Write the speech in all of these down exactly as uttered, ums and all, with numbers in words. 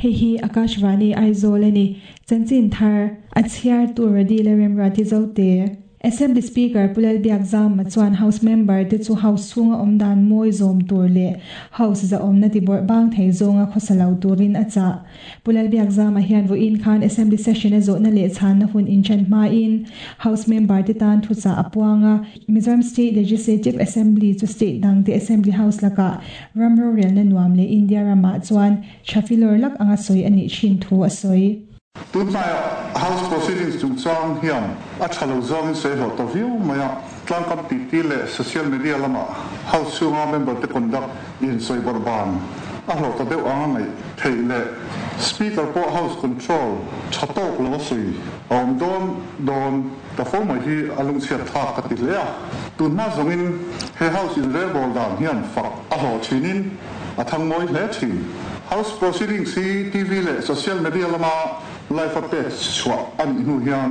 Hei hi Akashvani Aizawl ani. Chanchin thar a chhiar tur Radi le Remruati Zote. Assembly Speaker Pu Lalbiakzama chuan House member te chu House chhunga awm dan mawi zawm tur leh House zahawmna tibawrh bang thei zawnga khawsa lo turin a chah. Pu Lalbiakzama hian vawiin khan Assembly session a zawhna leh chhanna hun inṭhen hmain House member te tan thuchah a puang a. Mizoram State Legislative Assembly chu state dangte Assembly House lakah ram rorelna nuam leh India ramah chuan tha filawr lak anga sawi a nih thin thu a sawi. Tunhnaiah House Proceedings chungchang hian a tha lo zawngin sawi hlawh ta viau mai a, tlangkam titi leh social media lamah House chhunga member te conduct in sawi bawrh ban a hlawh ta deuh anga ngaih theih leh Speaker pawh House control tha tawk lo a sawi a awm dawn dawn ta fo mai hi a lungchhiat thlak ka ti hle a. Tunhma zawngin he House inrelbawl dan hian fak a hlawh thinin a thang mawi hle thin. House Proceedings hi T V leh social media lama live a pek chhuah a nih hnu hian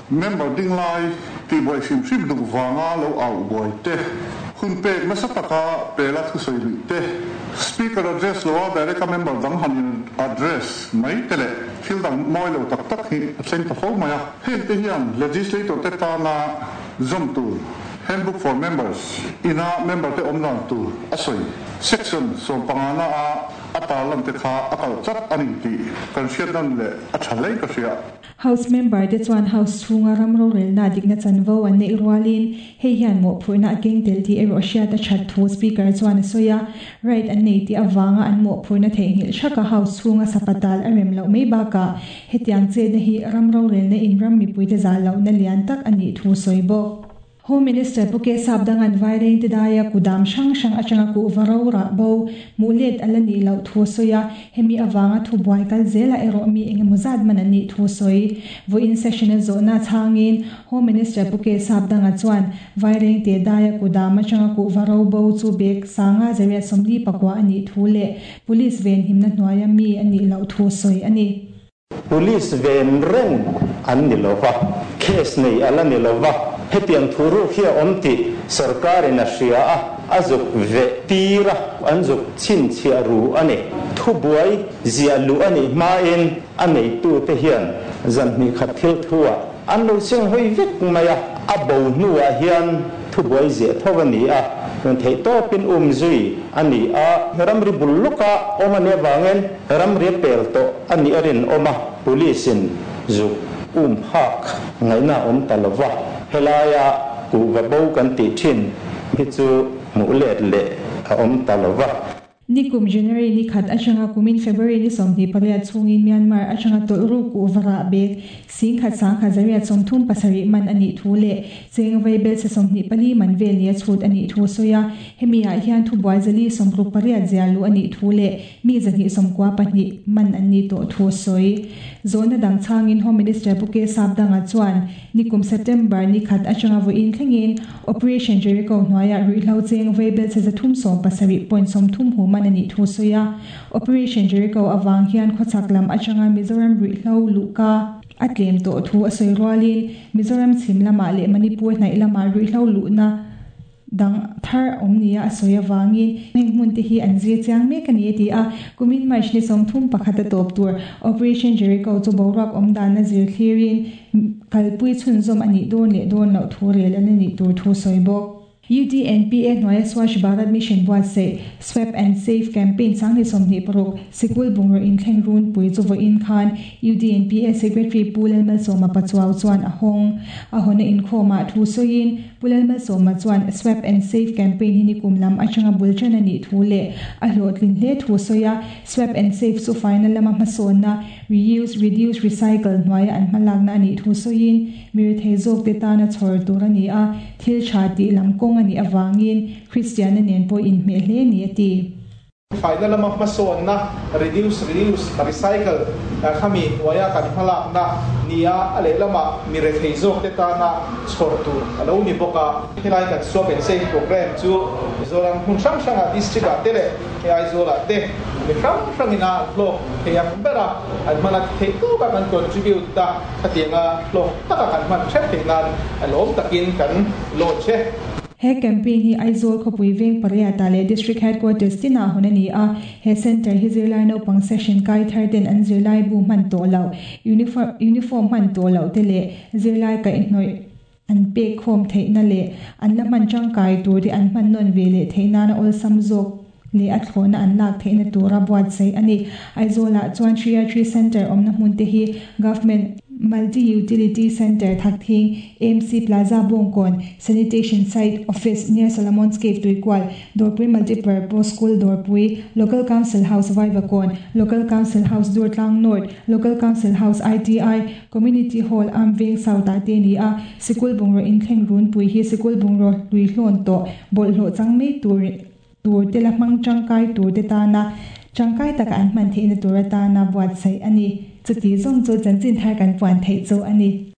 member ding lai tihbuai hrim hrim duh vanga lo au buai te, hun pek nasa taka pela thusawi luih te, Speaker address loa direct a member dang han in address mai te leh thil dang mawi lo tak tak hi a thleng ta fo mai a. Heng te hian legislator te tana zawm tur Handbook for Members ina member te awm dan tur a sawi section sawm pangana a a tarlan te kha a kalh tlat a ni tih kan hriat nan leh a tha hle ka hria. House member te chuan House chhunga ram rorelna dikna chanvo an neih rualin hei hian mawhphurhna a keng tel tih erawh hriat a that thu Speaker chuan a sawi a. Right an nei tih avanga an mawhphurhna theihnghilh thaka House chhunga sapatal a rem loh mai bakah hetiang chetna hi ram rorelna in ram mipuite zah lohna lian tak a nih thu sawi bawk. Home Minister Pu K Sapdanga'n Vairengte daia kudam hrang hrang atanga kuhva ro rah bo hmuh let a la nih loh thu a sawi a, hemi avanga thubuai kal zela erawh mi engemaw zat man an nih thu a sawi. Vawiin session a zawhna chhangin Home Minister Pu K Sapdanga chuan Vairengte daia kudam atanga kuhva ro bo chu bag sanga zariat sawmli pakua a nih thu leh police venhimna hnuaia mi a nih loh thu a sawi a ni. Police ven reng an ni lova, case nei a la ni lova, hetiang thu ruk hi a awm tih sorkarin a hria a, a zuk veh tir a, an zuk chhinchhiah ru a ni. Thubuai ziah luh a nih hmain a neitute hian zan hnih khat thil thu-ah an lo seng hawi vek mai a, a bo hnuah hian thubuai ziah tho a ni a, theih tawpin um zui a ni a, ramri bul lawka awm a nih avangin ramri a pel tawh a nih a rinawm a, police-in zuk um phak ngaihna a awm ta lo va, helaia kuhva bo kan tih thin hi chu hmuh let leh a awm ta lo va. Nikum January ni khat atanga kumin February ni sawmhnih pariat chhungin Myanmar atanga tawlh ruk kuhva rah bag singkhat sangkhat zariat sawmthum pasarih man a nih thu leh cheng vaibel se sawmhnih pali man vel nia chhut a nih thu a sawi a. Hemi ah hian thubuai zali sawmruk pariat zia luh a nih thu leh mi zahnih sawmkua pahnih man an nih tawh thu a sawi. Zawhna dang chhangin Home Minister Pu K Sapdanga chuan nikum September ni khat atanga vawiin thlengin Operation Jericho hnuaiah ruihhlo cheng vaibel che zathum sawm pasarih point sawmthum hu man a nih thu sawi a. Operation Jericho awang hian khawchhak lam atanga Mizoram ruihhlo luhka a tlem tawh thu a sawi rualin Mizoram chhim lamah leh Manipur hnaih lamah ruihhlo luhna dang thar awm nia a sawi awangin heng hmun te hi an zir chiang mek a ni a ti a. Kumin March ni sawmthum pakhat a tawp tur Operation Jericho chu boruak awm dan a zir thlirin kalpui chhunzawm a nih dawn leh dawn loh thu rel a la nih tur thu sawi bawk. U D N P A hnuaia Swachh Bharat Mission buatsaih Swap and Save Campaign sanghnih sawmhnih paruk sikul bungraw inthleng runpui chu vawiin khan U D N P A Secretary Pu Lalmalsawma Pachuau chuan a hawng. A hawnna inkhawmah thu sawiin Pu Lalmalsawma chuan Swap and Save Campaign hi nikum lam atanga bul ṭan a nih thu leh a hlawhtlin hle thu sawi a. Swap and Save chu faina lama hmasawnna Reuse, Reduce, Recycle hnuaia an hmalakna a nih thu sawiin mi rethei zawk te tana chhawr tur a ni a, thil tha tih lam kawng a nih awangin Kristianna nen pawh inhmeh hle ni a ti. Faina lama hmasawnna Reduce, Reuse, Recycle khami hnuaia kan hmalakna nia a lehlamah mi rethei zawk te tana chhawr tur a lo ni bawk a. Helai kan Swap and Save program chu Mizoram hmun hrang hrangah, district ah te leh hei Aizawl ah te mi hrang hrangin a an hlawk thei ang bera an hmana theih tawka kan contribute ta khatianga hlawk taka kan hman theuh theih nan a lawm takin kan launch e. He campaign hi Aizawl khawpui veng pariat ah leh District Headquarters tinah hawn a ni a. He centre hi zirlai naupang session kai thar ten an zirlai bu hman tawh loh, uniform hman tawh loh te leh zirlai kaihhnawih an pek khawm theihna leh an la hman tangkai tur te an hman nawn ve leh theih nana awlsam zawk leh a thlawhna an lak theihna tura buatsaih a ni. Aizawlah chuan Three Centre awmna hmun te hi Government Multi Utility Centre Thakthing, A M C Plaza Bawngkawn, Sanitation Site Office near Solomon's Cave Tuikual, Dawrpui Multipurpose School Dawrpui, Local Council House Vaivakawn, Local Council House Durtlang North, Local Council House I T I, Community Hall Amveng South ah te ni a. Sikul bungraw inthleng runpui hi sikul bungraw hlui hlawn tawh bawlhhlawh chang mai tur tur te la hmang tangkai tur te tana tangkai taka an hman theihna tur atana buatsaih a ni. Chuti zawng chu chanchin thar kan puan theih chu a ni.